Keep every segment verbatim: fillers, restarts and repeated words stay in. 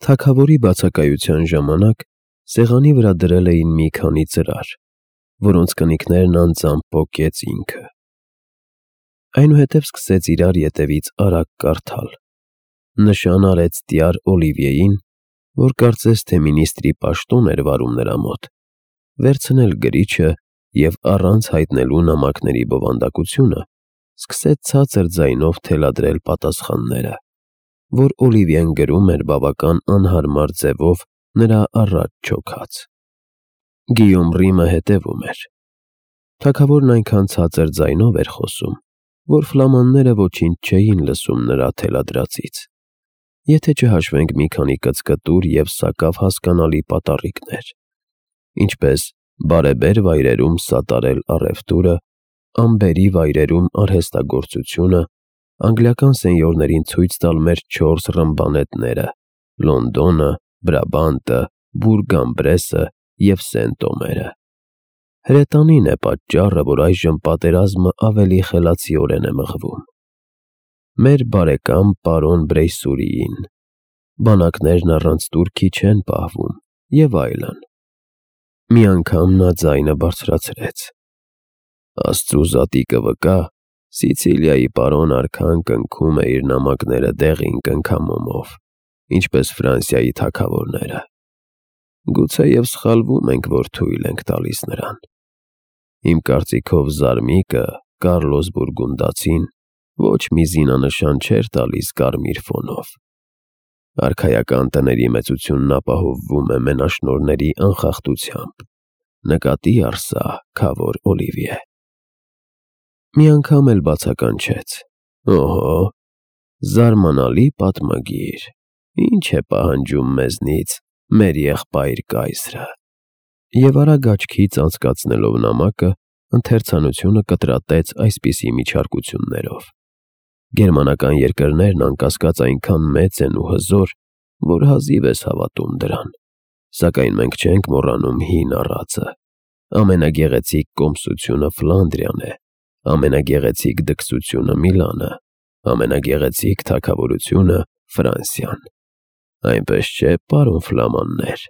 Թագավորի բացակայության ժամանակ սեղանի վրա դրել էին մի քանի ծրար, որոնց կնիկներն անձամբ պոկեց ինքը։ Այնուհետև սկսեց իրար ետևից արագ կարդալ. նշան արեց տյար Օլիվիեին, որ կարծես թե մինիստրի պաշտոն էր վարում նրա մոտ, վերցնել գրիչը և առանց հայտնելու նամակների բովանդակությունը սկսեց ցածր ձայնով թելադրել պատասխանները, որ Օլիվիեն գրում էր բավական անհարմար ձևով նրա առաջ չոքած։ Գիյոմ Ռիմը հետևում էր։ Թագավորն այնքան ցածր ձայնով էր խոսում, որ ֆլամանները ոչինչ չէին լսում նրա թելադրածից, եթե չհաշվենք մի քանի կծկտուր և սակավ հասկանալի պատառիկներ, ինչպես բարեբեր վայրերում սատարել առևտուրը, անբերի վայրերում արհեստագործությունը, անգլիական սենյորներին ցույց տալ մեր չորս ռմբանետները՝ Լոնդոնը, Բրաբանտը, Բուրգ-en-Բրեսը և Սենտ-Օմերը։ Հրետանին է պատճառը, որ այժմ պատերազմը ավելի խելացիորեն է մղվում։ Մեր բարեկամ պարոն Բրեյսուրիին, բանակներն առանց տուրքի չեն պահվում և այլն։ Մի անգամ նա ձայնը բարձրացրեց. Աստծու զատիկը վկա, Սիցիլիայի պարոն արքան կնքում է իր նամակները դեղին կնքամոմով, ինչպես Ֆրանսիայի թագավորները։ Գուցեև սխալվում ենք, որ թույլ ենք տալիս նրան։ Իմ կարծիքով Զարմիկը, Կարլոս Բուրգունդացին, ոչ մի զինանշան չէր տալիս կարմիր ֆոնով։ Արքայական տների մեծությունն ապահովվում է մենաշնորհների անխախտությամբ, նկատի առ սա, քավոր Օլիվիե։ Մի անգամ էլ բացականչեց. Օհո, զարմանալի պատմագիր, ինչ է պահանջում մեզնից մեր եղբայր կայսրը։ Եվ արագ աչքից անցկացնելով նամակը, ընթերցանությունը կտրատեց այսպիսի միջարկություններով. Գերմանական երկրներն անկասկած այնքան մեծ են ու հզոր, որ հազիվ ես հավատում դրան, սակայն մենք չենք մոռանում հին առածը, ամենագեղեցիկ կոմսությունը Ֆլանդրիան է, ամենագեղեցիկ դքսությունը Միլանը, ամենագեղեցիկ թագավորությունը Ֆրանսիան, այնպես չէ, պարոն ֆլամաններ։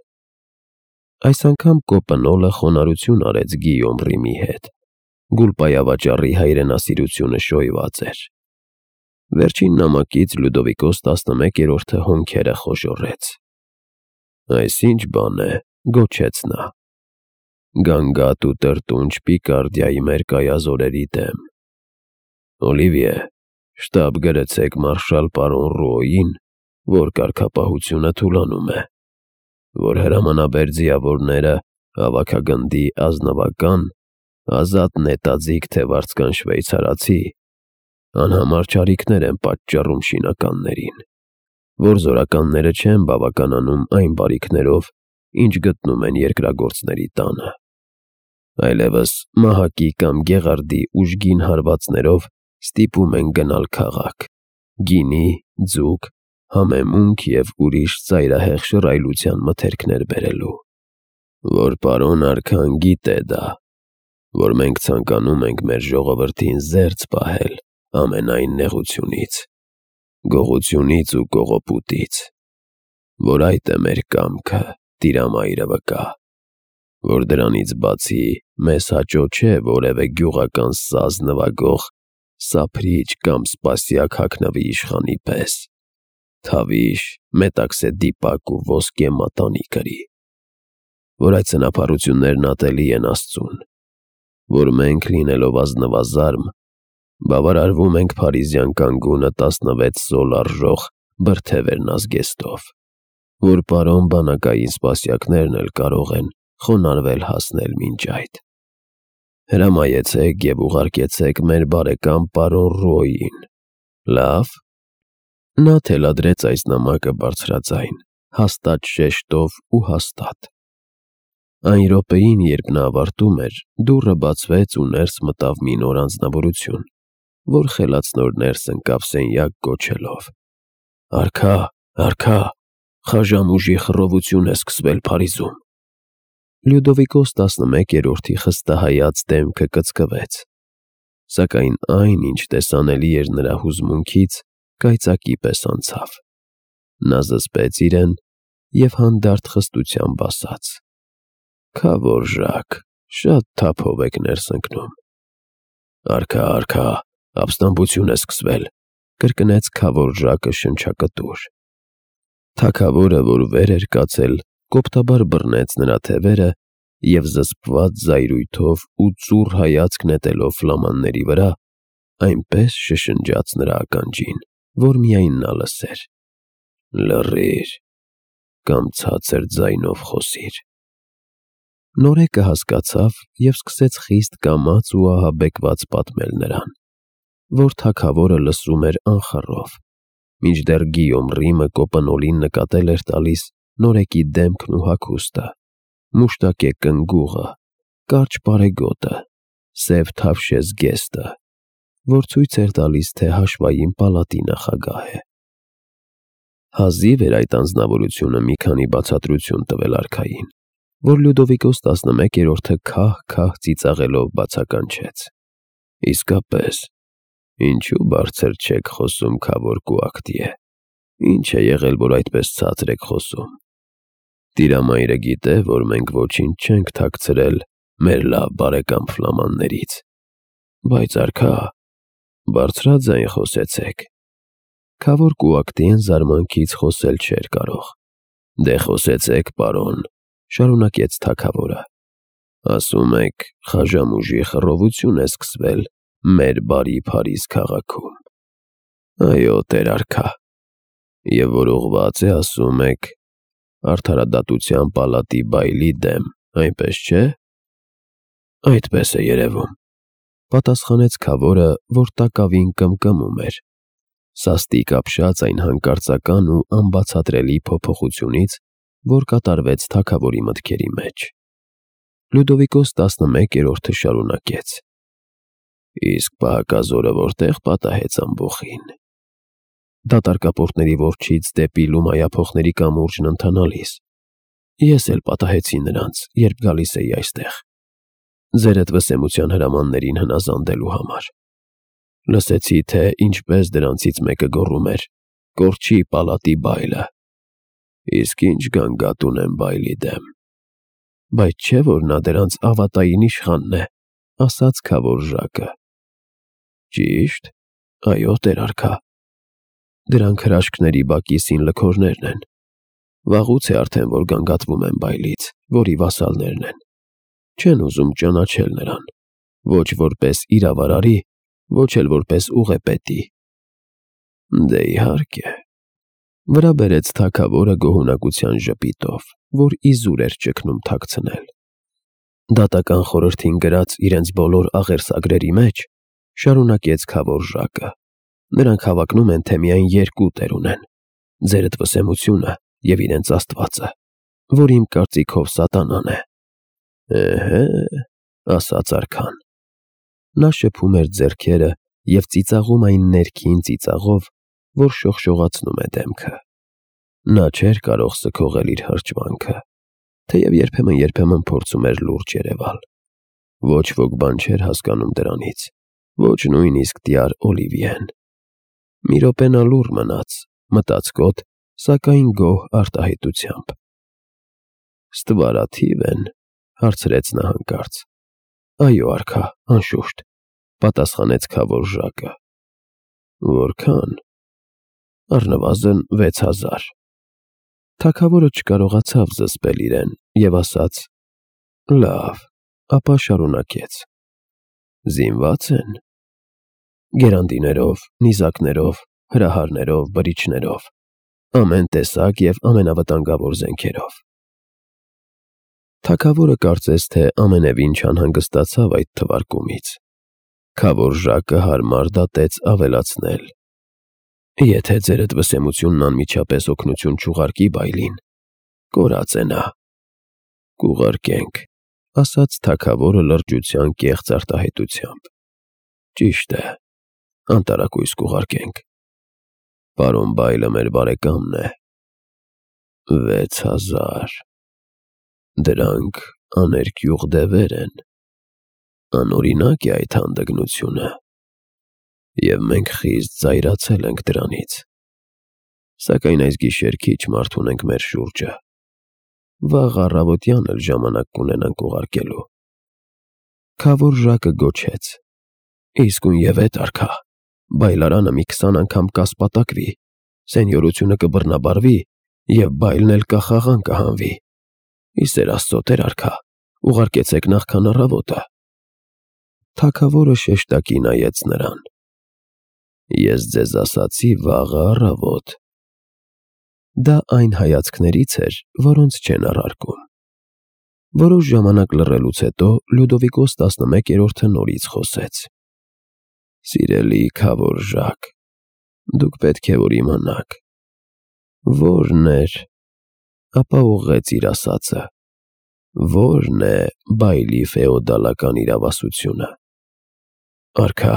Այս անգամ Կոպնոլը խոնարհություն արեց Գիյոմ Ռիմի հետ, Գուլպայավաճառի հայրենասիրությունը շոյված էր։ Վերջին նամակից Լյուդովիկոս տասնմեկերորդը հոնքերը խոժոռեց։ Այս ի՞նչ բան է, գոչեց նա։ Գանգատ ու տրտունջ Պիկարդիայի մեր կայազորերի դեմ։ Օլիվիե, շտապ գրեցեք մարշալ պարոն Ռուոյին, որ կարգապահությունը թուլանում է, որ հրամանաբեր ձիավորները հավաքագնդի ազնվական, ազատ նետաձիգ թե վարձկան շվեյցարացի, անհամար չարիքներ են պատճառում շինականներին, որ զորականները չեն բավականանում այն բարիքներով, ինչ գտնում են երկրագործների տանը, այլևս մահակի կամ գեղարդի ուժգին հարվածներով ստիպում են գնալ քաղաք, գինի, ձուկ, համեմունք և ուրիշ ծայրահեղ շռայլության մթերքներ բերելու, որ պարոն արքան գիտե դա, որ մենք ցանկանում ենք մեր ժողովրդին զերծ պահել ամենայն նեղությունից, գողությունից ու կողոպուտից, որ այդ է մեր կամքը, Տիրամայրը վկա, որ դրանից բացի մեզ հաճո չէ որևէ գյուղական սազ նվագող սափրիչ կամ սպասյակ հագնվի իշխանի պես, թավիշ, մետաքսե դիպակ ու ոսկե մատանի կրի, որ այդ ծնապարություններն ատելի են Աստծուն, որ մենք լինելով ազնվազարմ, բավարարվում ենք փարիզյան կանգունը տասնվեց սոլ արժող բրդեվերն ազգեստով, որ պարոն բանակային սպասյակներն էլ կարող են խոնարհվել հասնել մինչ այդ։ Հրամայեցեք և ուղարկեցեք մեր բարեկամ պարոն Ռուոյին։ Լավ։ Նա թելադրեց այս նամակը բարձրաձայն, հաստատ շեշտով ու հաստատ։ Այն րոպեին, երբ նա ավարտում էր, դուռը բացվեց ու ներս մտավ մի նոր անձնավորություն, որ խելացնոր ներս ընկավ սենյակ գոչելով. Արքա, արքա, խաժամ ուժի խռովություն է սկսվել Փարիզում։ Լյուդովիկոս տասնմեկերորդի խստահայաց դեմքը կծկվեց, սակայն այն, ինչ տեսանելի էր նրա հուզմունքից, կայծակի պես անցավ։ Նա զսպեց իրեն և հանդարտ խստությամբ ասաց. «Քավորժակ, շատ թափով եք ներս ընկնում»։ «Արքա, արքա, ապստամբություն է սկսվել», կրկնեց քավորժակը շնչակտուր։ Թագավորը, որ վեր էր կացել, կոպտաբար բռնեց նրա թևերը և զսպված զայրույթով ու ծուռ հայացք նետելով ֆլամանների վրա, այնպես շշնջաց նրա ականջին, որ միայն նա լսեր. «Լռիր կամ ցածր ձայնով խոսիր»։ Նորեկը հասկացավ և սկսեց խիստ կամաց ու ահաբեկված պատմել նրան, որ թագավորը լսում էր անխռով, մինչդեռ Գիյոմ Ռիմը կոպնոլին նկատել էր տալիս նորեկի դեմքն ու հագուստը, մուշտակե կնգուղը, կարճ պարեգոտը, սև թավշե զգեստը, որ ցույց էր տալիս, թե հաշվային պալատի նախագահ է։ Հազիվ էր այդ անձնավորությունը մի քանի բացատրություն տվել արքային, որ Լյուդովիկոս տասնմեկերորդը քահ-քահ ծիծաղելով բացականչեց. «Իսկապես, ինչու բարձր չեք խոսում, Քավոր Կուակտիե, ինչ է եղել, որ այդպես ցածր եք խոսում։ Տիրամայրը գիտե, որ մենք ոչինչ չենք թաքցրել մեր լավ բարեկամ ֆլամաններից, բայց արքա, բարձրաձայն խոսեցեք»։ Քավոր Կուակտիեն զարմանքից խոսել չէր կարող։ «Դե խոսեցեք, պարոն», շարունակեց թագավորը, «ասում եք, Խաժամուժի խռովություն է սկսվել մեր բարի Փարիզ քաղաքում»։ «Այո, տեր֊արքա, և որ ուղղված է, ասում եք, Արդարադատության պալատի բայլի դեմ, այնպես չէ՞։ «Այդպես է երևում», պատասխանեց Քավորը, որ տակավին կմկմում էր, սաստիկ ապշած այն հանկարծական ու անբացատրելի փոփոխությունից, որ կատարվեց թագավորի մտքերի մեջ։ Լյուդովիկոս տասնմեկերորդը շարունակեց. «Իսկ պահակազորը որտե՞ղ պատահեց ամբոխին»։ Դատարկապորտների որջից դեպի լումայափոխների կամուրջն ընթանալիս։ Ես էլ պատահեցի նրանց, երբ գալիս էի այստեղ, ձերդ վսեմության հրամաններին հնազանդելու համար։ Լսեցի, թե ինչպես դրանցից մեկը գոռում էր. «Կորչի պալատի բայլը»։ Իսկ ինչ գանգատ ունեմ բայլի դեմ։ Բայց չէ՞ որ նա դրանց ավատային իշխանն է, ասաց քավորժակը։ Ճի՞շտ, այո, տեր֊արքա։ Դրանք հրաշքների բակի սինլքորներն են։ Վաղուց է արդեն, որ գանգատվում են բայլից, որի վասալներն են։ Չեն ուզում ճանաչել նրան, ոչ որպես իրավարարի, ոչ էլ որպես ուղեպետի։ Դե իհարկե, վրա բերեց թագավորը գոհունակության ժպիտով, որ իզուր էր ճգնում թաքցնել։ Դատական խորհրդին գրած իրենց բոլոր աղերսագրերի մեջ, շարունակեց քավորժակը, նրանք հավակնում են, թե միայն երկու տեր ունեն՝ ձերդ վսեմությունը և իրենց աստվածը, որ իմ կարծիքով սատանան է։ Էհե, ասաց արքան։ Նա շփում էր ձեռքերը և ծիծաղում այն ներքին ծիծաղով, որ շողշողացնում է դեմքը։ Նա չէր կարող սգողել իր հրճվանքը, թեև երբեմն-երբեմն փորձում էր լուրջ երևալ։ Ոչ ոք բան չէր հասկանում դրանից, ոչ նույնիսկ տյար Օլիվիեն։ Մի րոպե նա լուռ մնաց, մտածկոտ, սակայն գոհ արտահայտությամբ։ «Ստվարաթի՞վ են», հարցրեց նա հանկարծ։ «Այո, արքա, անշուշտ», պատասխանեց քավորժակը։ «Որքան»։ «Առնվազն վեց հազար»։ Թագավորը չկարողացավ զսպել իրեն և ասաց. «Լավ», ապա շարունակեց. «Զինվա՞ծ են»։ «Գերանդիներով, նիզակներով, հրահարներով, բրիչներով, ամեն տեսակ և ամենավտանգավոր զենքերով»։ Թագավորը կարծես թե ամենևին չանհանգստացավ այդ թվարկումից։ Քավորժակը հարմար դատեց ավելացնել. «Եթե ձերդ վսեմությունն անմիջապես օգնություն չուղարկի բայլին, կորած է նա»։ «Կուղարկենք», ասաց թագավորը լրջության կեղծ արտահայտությամբ։ «Ճիշտ է, անտարակույս կուղարկենք։ Պարոն բայլը մեր բարեկամն է։ Վեց հազար։ Դրանք աներկյուղ դևեր են։ Անօրինակ է այդ հանդգնությունը, և մենք խիստ զայրացել ենք դրանից։ Սակայն այս գիշեր քիչ մարդ ունենք մեր շուրջը։ Վաղ առավոտյան էլ ժամանակ կունենանք ուղարկելու։ Քավորժակը գոչեց. Իսկույն եւ էդ արքա, բայլարանը մի քսան անգամ կասպատակվի, սենյորությունը կբռնաբարվի եւ բայլն էլ կախաղան կհանվի։ Իսեր Աստծո Տեր արքա, ուղարկեցեք նախքան առավոտը։ Թագավորը շեշտակի նայեց նրան։ Ես ձեզ ասացի վաղը առավոտ։ Դա այն հայացքներից էր, որոնց չեն առարկում։ Որոշ ժամանակ լռելուց հետո Լյուդովիկոս տասնմեկերորդը նորից խոսեց. Սիրելի քավորժակ, դուք պետք է որ իմանաք։ Որն էր, ապա ուղղեց իր ասածը, որն է բայլի ֆեոդալական իրավասությունը։ Արքա,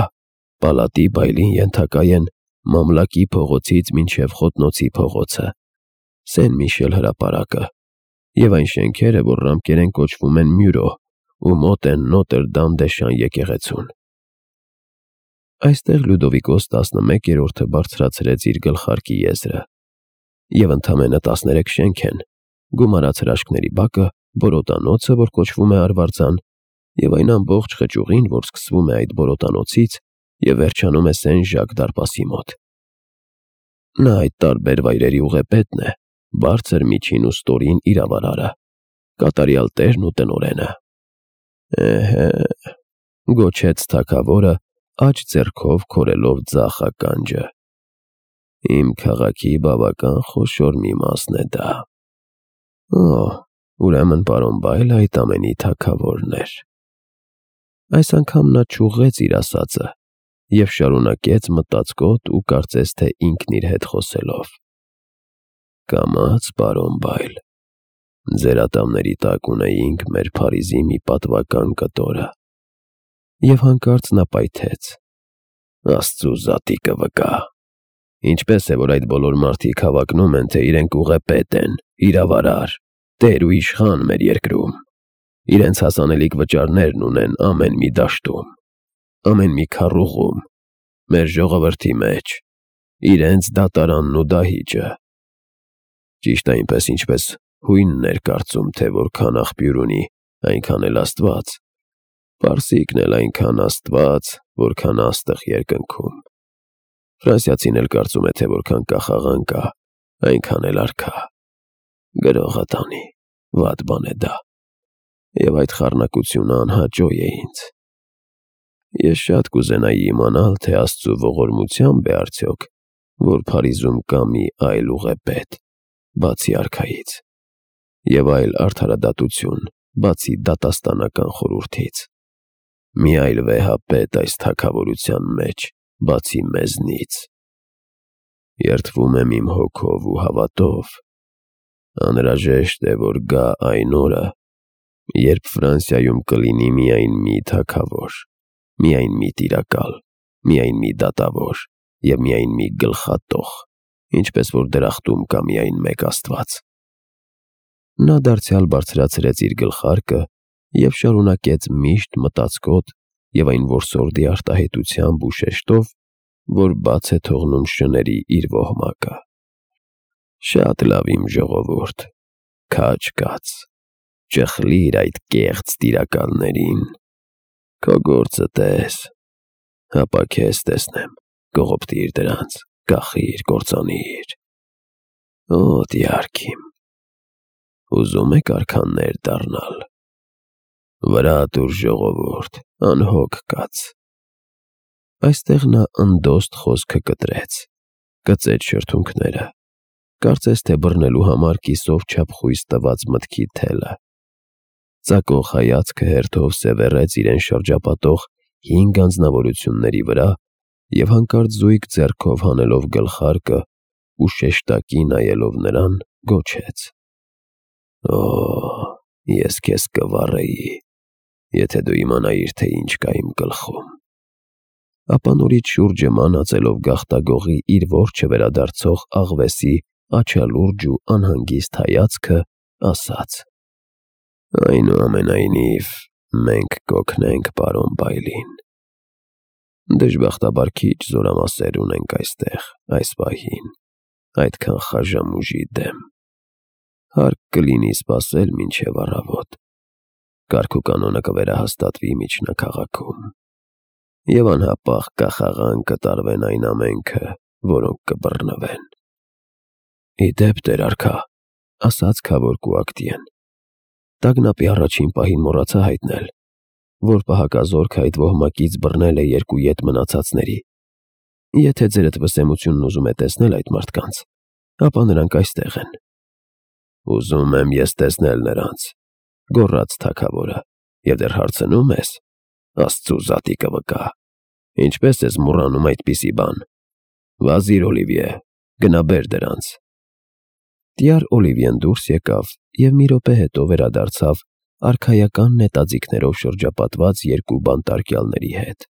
պալատի բայլին ենթակա են Մամլակի փողոցից մինչև Խոտնոցի փողոցը, Սեն Միշել հրապարակը եւ այն շենքերը, որ ռամկերեն կոչվում են Մյուրո ու մոտ են Նոտր Դամ դե Շան եկեղեցուն։ Այստեղ Լյուդովիկոս տասնմեկերորդը բարձրացրեց իր գլխարկի եզրը։ Եվ ընդամենը տասներեք շենք են, գումարած հրաշքների բակը, բորոտանոցը, որ կոչվում է Արվարձան, եւ այն ամբողջ խճուղին, որ սկսվում է այդ բորոտանոցից եւ վերջանում է Սեն Ժակ դարպասի մոտ։ Նա այդ տարբեր վայրերի ուղեպետն է, բարձր, միջին ու ստորին իրավարարը, կատարյալ տերն ու տնօրենը։ Էհե, գոչեց թագավորը, աջ ձեռքով քորելով ձախ ականջը։ Իմ քաղաքի բավական խոշոր մի մասն է դա։ Օ, ուրեմն պարոն Բայլը այդ ամենի թագավորն էր։ Այս անգամ նա չուղղեց իր ասածը եւ շարունակեց մտածկոտ ու կարծես թե ինքն իր հետ խոսելով. Կամաց, պարոն Բայլ, ձեր ատամների տակ ունեինք մեր Փարիզի մի պատվական կտորը։ Եվ հանկարծ նա պայթեց. Աստծու զատիկը վկա։ Ինչպես է, որ այդ բոլոր մարդիկ հավակնում են, թե իրենք ուղեպետ են, իրավարար, տեր ու իշխան մեր երկրում։ Իրենց հասանելիք վճարներն ունեն ամեն մի դաշտում, ամեն մի քառուղում, մեր ժողովրդի մեջ, իրենց դատարանն ու դահիճը։ Ճիշտ այնպես, ինչպես հույնն էր կարծում, թե որքան աղբյուր ունի, այնքան էլ Աստված, պարսիկն էլ այնքան Աստված, որքան աստղ երկնքում։ Ֆրանսիացին էլ կարծում է, թե որքան կախաղան կա, այնքան էլ արքա։ Գրողը տանի, վատ բան է դա։ Եվ այդ խառնակությունը անհաճո է ինձ։ Ես շատ կուզենայի իմանալ, թե Աստծու ողորմությամբ է արդյոք, որ Փարիզում կա մի այլ ուղեպետ, բացի արքայից, եւ այլ արդարադատություն, բացի դատաստանական խորհրդից, մի այլ վեհապետ այս թագավորության մեջ, բացի մեզնից։ Երդվում եմ իմ հոգով ու հավատով, անհրաժեշտ է, որ գա այն օրը, երբ Ֆրանսիայում կլինի միայն մի թագավոր, միայն մի տիրակալ, միայն մի դատավոր եւ միայն մի գլխատող, ինչպես որ դրախտում կա միայն մեկ Աստված։ Նա դարձյալ բարձրացրեց իր գլխարկը եւ շարունակեց միշտ մտածկոտ եւ այն որսորդի արտահայտությամբ ու շեշտով, որ բաց է թողնում շների իր ոհմակը։ Շատ լավ, իմ ժողովուրդ, քաջ կաց, ճխլիր այդ կեղծ տիրակալներին, քո գործը տես, հապա քեզ տեսնեմ, կողոպտիր դրանց, կախիր, կործանիր։ Օ, դյարք իմ, ուզում եք արքաներ դառնալ։ Վրա տուր, ժողովուրդ, անհոգ կաց։ Այստեղ նա ընդոստ խոսքը կտրեց, կծեց շրթունքները, կարծես թե բռնելու համար կիսով չափ խույս տված մտքի թելը։ Ծակող հայացքը հերթով սևեռեց իրեն շրջապատող հինգ անձնավորությունների վրա եւ հանկարծ զույգ ձեռքով հանելով գլխարկը ու շեշտակի նայելով նրան, գոչեց. Օ, ես քեզ կվառեի, եթե դու իմանայիր, թե ինչ կա իմ գլխում։ Ապա նորից շուրջը մանածելով գաղտագողի իր որջը վերադարձող աղվեսի աչալուրջ ու անհանգիստ հայացքը, ասաց. Այնուամենայնիվ, մենք կօգնենք պարոն Բայլին։ Դժբախտաբար քիչ զորամասեր ունենք այստեղ, այս պահին, այդքան խաժամուժի դեմ։ Հարկ կլինի սպասել մինչև առավոտ։ Կարգուկանոնը կվերահաստատվի միջնաքաղաքում, և անհապաղ կախաղան կտարվեն այն ամենքը, որոնք կբռնվեն։ «Ի դեպ, տեր արքա», ֊ ասաց քավոր Կուակտիեն, ֊ տագնապի առաջին պահին մոռացա հայտնել, որ պահակազորքն այդ ոհմակից բռնել է երկու ետ մնացածների։ Եթե ձերդ վսեմությունն ուզում է տեսնել այդ մարդկանց, ապա նրանք այստեղ են։ «Ուզում եմ ես տեսնել նրանց», ֊ գոռաց թագավորը, «և դեռ հարցնում ես. Աստծու զատիկը վկա, ինչպե՞ս ես մոռանում այդպիսի բան։ Վազիր, Օլիվիե, գնա բեր դրանց»։ Տյար Օլիվիեն դուրս եկավ և մի րոպե հետո վերադարձավ արքայական նետաձիգներով շրջապատված երկու բանտարկյալների հետ։